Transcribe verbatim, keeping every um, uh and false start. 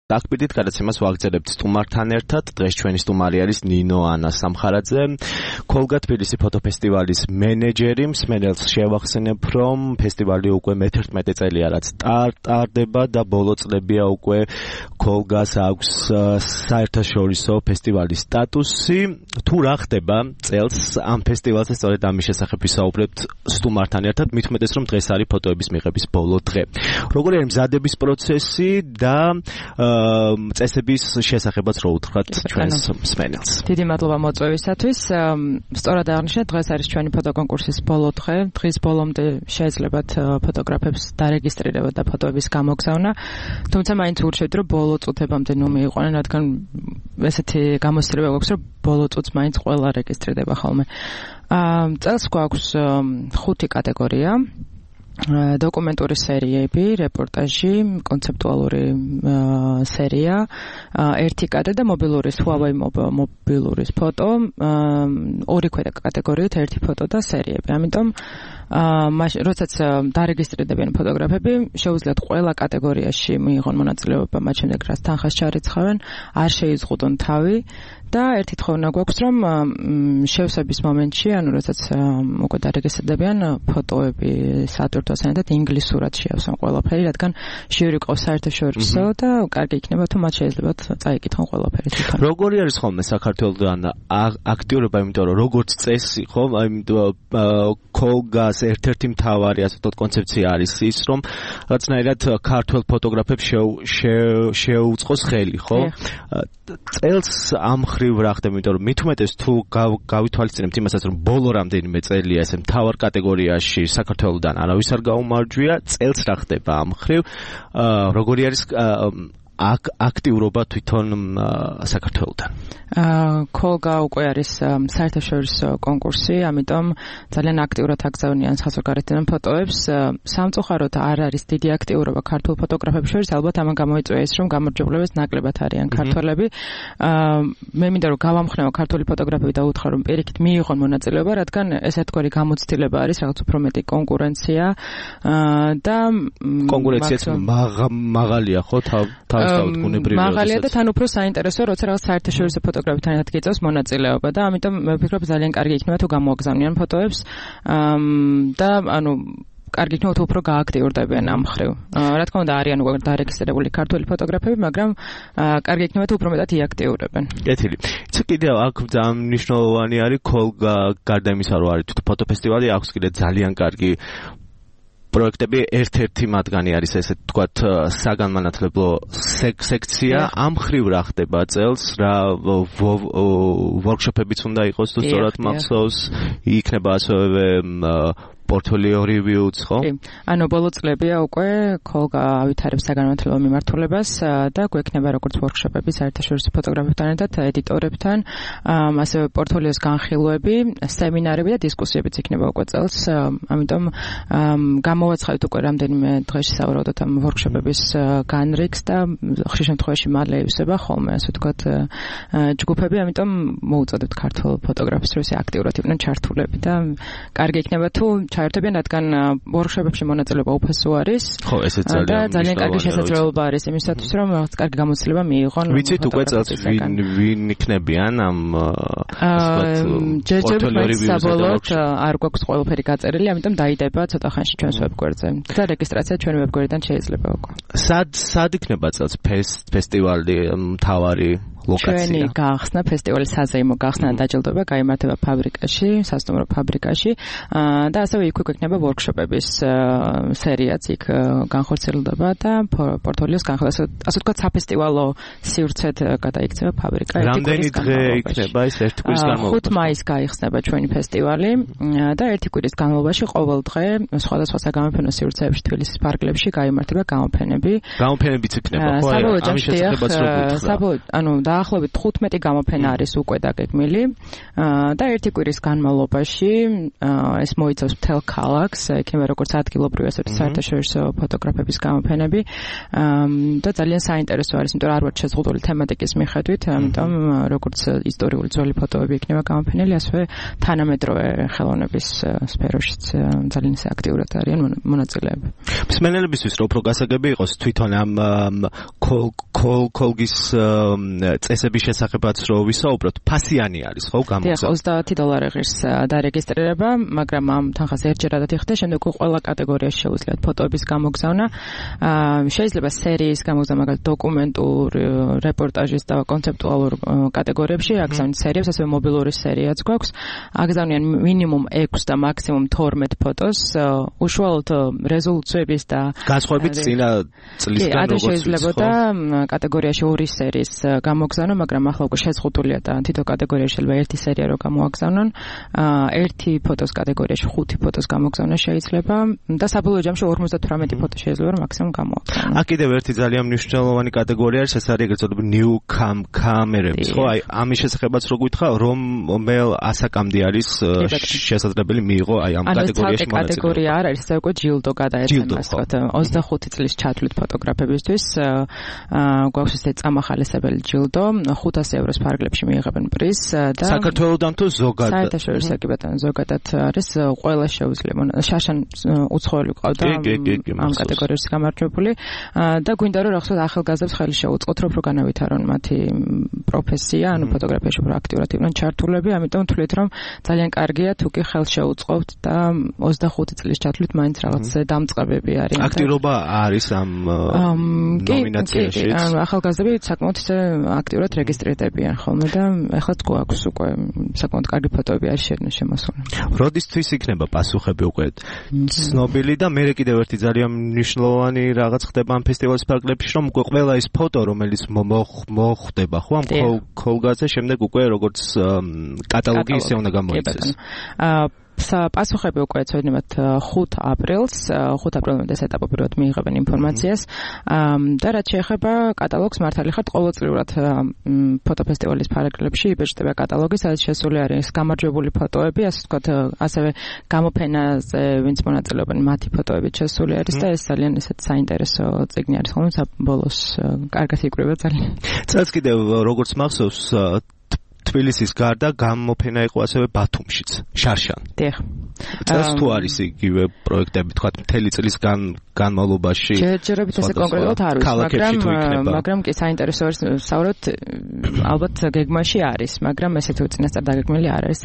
დაგპირდით გადაცემას ვაგრძელებთ სტუმართან ერთად. დღეს ჩვენი სტუმარი არის ნინო ანა სამხარაძე, ქოლგა თბილისი ფოტოფესტივალის მენეჯერი. მსმენელს შევახსენებ, რომ ფესტივალი უკვე მეთერთმეტე წელია რაც ტარდება და ბოლო წლებია უკვე ქოლგას აქვს საერთაშორისო ფესტივალის სტატუსი. თუ რა ხდება წელს ამ ფესტივალზე, სწორედ ამის შესახებ ვისაუბრებთ სტუმართან ერთად, მით უმეტეს რომ დღეს არის ფოტოების მიღების ბოლო დღე. როგორი არის მზადების პროცესი და წესების შესახებაც რო უთხრათ ჩვენს მსმენელს. დიდი მადლობა მოწვევისათვის. სწორად აღნიშნეთ, დღეს არის ჩვენი ფოტოკონკურსის ბოლო დღე. დღის ბოლომდე შეეძლებათ ფოტოგრაფებს დარეგისტრირება და ფოტოების გამოგზავნა. თუმცა მაინც ურჩევთ, რომ ბოლო წუთებამდე ნუ მიიყვანენ, რადგან ესეთი გამოცდილება გვაქვს, რომ ბოლო წუთს მაინც ყველა რეგისტრირდება ხოლმე. წელს გვაქვს ხუთი კატეგორია. დოკუმენტური სერიები, რეპორტაჟი, კონცეპტუალური სერია, ერთი კადრ და მობილური Huawei მობილურის ფოტო, ორი ქვედა კატეგორიით ერთი ფოტო და სერიები. ამიტომ როდესაც დარეგისტრირდებიან ფოტოგრაფები, შეუძლიათ ყველა კატეგორიაში მიიღონ მონაწილეობა, მათ შემდეგ რაც თანხას ჩარიცხავენ, არ შეიზღუდონ თავი. და ერთი თხოვნა გვაქვს, რომ შევსების მომენტში, ანუ როდესაც უკვე დარეგისტრირდებიან ფოტოები სატვირთოს ანათად ინგლისურად შეავსონ ყველაფერი, რადგან ჟიური ყავს საერთაშორისო და კარგი იქნება თუ მათ შეეძლებათ წაიკითხონ ყველაფერი თვითონ. როგორი არის ხოლმე საქართველოსთან აქტიურობა, იმიტომ რომ როგორც წესი, ხო, იმიტომ ქოლგას ერთ-ერთი მთავარი ასე ვთქვათ კონცეფცია არის ის, რომ რაღაცნაირად ქართველ ფოტოგრაფებს შეუწყოს ხელი, ხო? წელს ამ ხრივ რა ხდება, იმიტომ რომ მით უმეტეს თუ გავითვალისწინებთ იმასაც, რომ ბოლო რამდენიმე წელია ესე მთავარ კატეგორიაში საქართველოსთან არავის არ გაუმარჯვია, წელს რა ხდება ამ ხრივ, როგორი არის აქტიურობა თვითონ საქართველოსთან? ქოლგა უკვე არის საერთაშორისო კონკურსი, ამიტომ ძალიან აქტიურად აგზავნიან საზღვარგარეთიდან ფოტოებს. სამწუხაროდ არ არის დიდი აქტიურობა ქართულ ფოტოგრაფებს შორის, ალბათ ამან გამოიწვია ის, რომ გამარჯვებულებს ნაკლებად არიან ქართველები. მე მინდა რომ გავამხნევო ქართული ფოტოგრაფები და უთხრა რომ პირიქით მიიღონ მონაწილეობა, რადგან ეს ერთგვარი გამოცდილება არის, რაღაც უფრო მეტი კონკურენცია და კონკურენციაც მაღალია, ხო, თავისთავად გუნებრივია. მაღალია და თან უფრო საინტერესოა, როცა რაღაც საერთაშორისო ფოტოგრაფებთან ერთად გიწევს მონაწილეობა და ამიტომ მე ვფიქრობ ძალიან კარგი იქნება თუ გამოაგზავნიან ფოტოებს და ანუ კარგი იქნება თუ უფრო გააქტიურდებიან ამ ხრივ. რა თქმა უნდა არიან უკვე დარეგისტრირებული ქართული ფოტოგრაფები, მაგრამ კარგი იქნება თუ უფრო მეტად იაქტიურებენ. კეთილი. იცი კიდევ აქ ძალიან მნიშვნელოვანი არის ქოლგა, გარდა იმისა რომ არის ფოტოფესტივალი, აქვს კიდე ძალიან კარგი პროექტები, ერთ-ერთი მათგანი არის ესე თქვათ საგანმანათლებლო სექცია. ამ ხრივ რა ხდება წელს, რა ვორქშოპებიც უნდა იყოს თუ სწორად მახსოვს, იქნება ასევე პორტფოლიო რივიუც, ხო? ანუ ბოლო წლებია უკვე ქოლგა ავითარებს საგანმანათლებლო მიმართულებას და გვექნება როგორც ვორქშოპები საერთაშორისო ფოტოგრაფებთან ერთად, ედიტორებთან, ასევე პორტფოლიოს განხილვები, სემინარები და დისკუსიებიც იქნება უკვე წელს. ამიტომ გამოვაცხადეთ უკვე რამდენიმე დღეში სავარაუდოდ ამ ვორქშოპების განრიგს და ხშირ შემთხვევაში მალე ივსება ხოლმე, ასე ვთქვათ, ჯგუფები, ამიტომ მოუწოდებთ ქართულ ფოტოგრაფებს, რომ ისე აქტიურად იყვნენ ჩართულები და კარგი იქნება თუ ჩაერთებიან, რადგან ვორქშოპებში მონაწილეობა უფასო არის. ხო, ესეც ძალიან და ძალიან კარგი შესაძლებლობა არის იმისათვის, რომ რაღაც კარგი გამოცდილება მიიღონ. ვიცით უკვე წელს ვინ ვინ იქნებიან ამ ჯერჯერობით საბოლოოდ არ გვაქვს ყველაფერი გაწერილი, ამიტომ დაიდება ცოტა ხანში ჩვენს ვებგვერდზე. და რეგისტრაცია ჩვენი ვებგვერდიდან შეიძლება უკვე. სად სად იქნება წელს ფესტივალი მთავარი ლოკაცია? ჩვენი გახსნა, ფესტივალის საზეიმო გახსნა და დაჯილდოება გაიმართება ფაბრიკაში, სასტუმრო ფაბრიკაში და ასევე იქ გვექნება ვორქშოპების სერიაც იქ განხორციელდება და პორტფოლიოს განხილვა, ასე ვთქვათ, საფესტივალო სივრცედ გადაიქცევა ფაბრიკა. რამდენი დღე იქნება ეს ერთი კვირის განმავლობაში? ხუთ მაისს გაიხსნება ჩვენი ფესტივალი და ერთი კვირის განმავლობაში ყოველ დღე სხვადასხვა საგამოფენო სივრცეებში თბილისის პარკლებში გაიმართება გამოფენები. გამოფენებიც იქნება, ხო? საბოლოო ჯამში, ანუ და დაახლოებით თხუთმეტი გამოფენა არის უკვე დაგეგმილი და ერთი კვირის განმავლობაში ეს მოიცავს მთელ ქალაქს, იქნება როგორც ადგილობრივი, ასევე საერთაშორისო ფოტოგრაფების გამოფენები და ძალიან საინტერესო არის, იმიტომ რომ არ ვარ შეზღუდული თემატიკის მიხედვით, ამიტომ როგორც ისტორიული ძველი ფოტოები იქნება გამოფენილი, ასევე თანამედროვე ხელოვნების სფეროშიც ძალიან აქტიურად არიან მონაწილეები. მსმენელებისთვის რო უფრო გასაგები იყოს თვითონ ამ კოლგის წესების შესახებაც რო ვისაუბროთ, ფასიანი არის ხო გამოგზავნა? ოცდაათი დოლარი ღირს დარეგისტრირება, მაგრამ ამ თანხას ერთჯერადად იხდა, შემდეგ ყველა კატეგორიაში შეუძლიათ ფოტოების გამოგზავნა. შეიძლება სერიის გამოგზავნა, მაგალითად დოკუმენტურ, რეპორტაჟის და კონცეპტუალურ კატეგორიებში, აგზავნით სერიებს, ასევე მობილური სერიაც გვაქვს. აგზავნიან მინიმუმ ექვს და მაქსიმუმ თორმეტ ფოტოს, უშუალოდ რეზოლუციების და განსხვავებით წინა წლისგან როგორც შეიძლებოდა კატეგორიაში ორი სერიის გამოგზავნა, მაგრამ ახლა უკვე შეზღუდულია და თითო კატეგორიაში შეიძლება ერთი სერია რო გამოაგზავნონ, ერთი ფოტოს კატეგორიაში ხუთი ფოტოს გამოგზავნა შეიძლება და საბოლოო ჯამში ორმოცდათვრამეტი ფოტო შეიძლება რომ მაქსიმუმ გამოვაგზავნონ. აქ კიდევ ერთი ძალიან მნიშვნელოვანი კატეგორია არის, ეს არის ეგრეთ წოდებული new cam კამერების, ხო? აი ამის შესახებაც რო გითხრა, რომელ ასაკამდე არის შესაძლებელი მიიღო აი ამ კატეგორიაში მონაწილეობა. კატეგორია არ არის, ეს უკვე ჯილდო გადაეცემა, ასე ვთქვათ, ოცდახუთი წლის ჩათვლით ფოტოგრაფებისთვის გვაქვს ესე წამახალისებელი ჯილდო, ხუთასი ევროს ფარგლებში მიიღებენ პრიზს და საქართველოდან თუ ზოგადად? საერთაშორისო კი ბატონო, ზოგადად არის, ყველა შეუძლია. შაშან უცხოელი ყავდა ამ კატეგორიაში გამარჯვებული და გვინდა რომ რაღაცა ახალგაზრდებს ხელი შეუწყოთ, რომ უფრო განავითარონ მათი პროფესია, ანუ ფოტოგრაფიაში უფრო აქტიურად იყვნენ ჩართულები, ამიტომ ვთვლით რომ ძალიან კარგია თუ კი ხელს შეუწყობთ და ოცდახუთი წლის ჩათვლით მაინც რაღაც დამწყებები არიან. აქტიურობა არის ამ ნომინაციაში? ახალგაზრდები საკმაოდ აქტიურად რეგისტრირდებიან ხოლმე და ეხლა გვაქვს უკვე საკმაოდ კარგი ფოტოები არის შემოსული. როდისთვის იქნება პასუხები უკვე ცნობილი და მე კიდევ ერთი ძალიან მნიშვნელოვანი რაღაც ხდება ამ ფესტივალის ფარგლებში, რომ უკვე ყველა ის ფოტო, რომელიც მოხდება ხო ამ კოლგაზე, შემდეგ უკვე როგორც კატალოგი ისე უნდა გამოიცეს. პასუხები უკვე ეცოდინებათ ხუთ აპრილს, ხუთ აპრილამდე ეს ეტაპი პირველად მიიღებენ ინფორმაციას და რაც შეეხება კატალოგს, მართალი ხართ, ყოველწლიურად ფოტოფესტივალის ფარგლებში იბეჭდება კატალოგი, სადაც შესული არის გამარჯვებული ფოტოები, ასე ვთქვათ, ასევე გამოფენაზე ვინც მონაწილეობენ, მათი ფოტოები შესული არის და ეს ძალიან ესეთ საინტერესო წიგნი არის, ხოლმე საბოლოს კარგად იკვრება ძალიან. წელს კიდევ როგორც მახსოვს თბილისის გარდა გამოფენა იყო ასევე ბათუმშიც, შარშან. დიახ. წელს თუ არის იგივე პროექტები, თქვა მთელი წლის განმავლობაში? ჯერჯერობით ესე კონკრეტულად არ ვიცი, მაგრამ მაგრამ კი საინტერესო არის, საუბრობთ ალბათ გეგმაში არის, მაგრამ ესეთი უწინასწარ დაგეგმილი არ არის.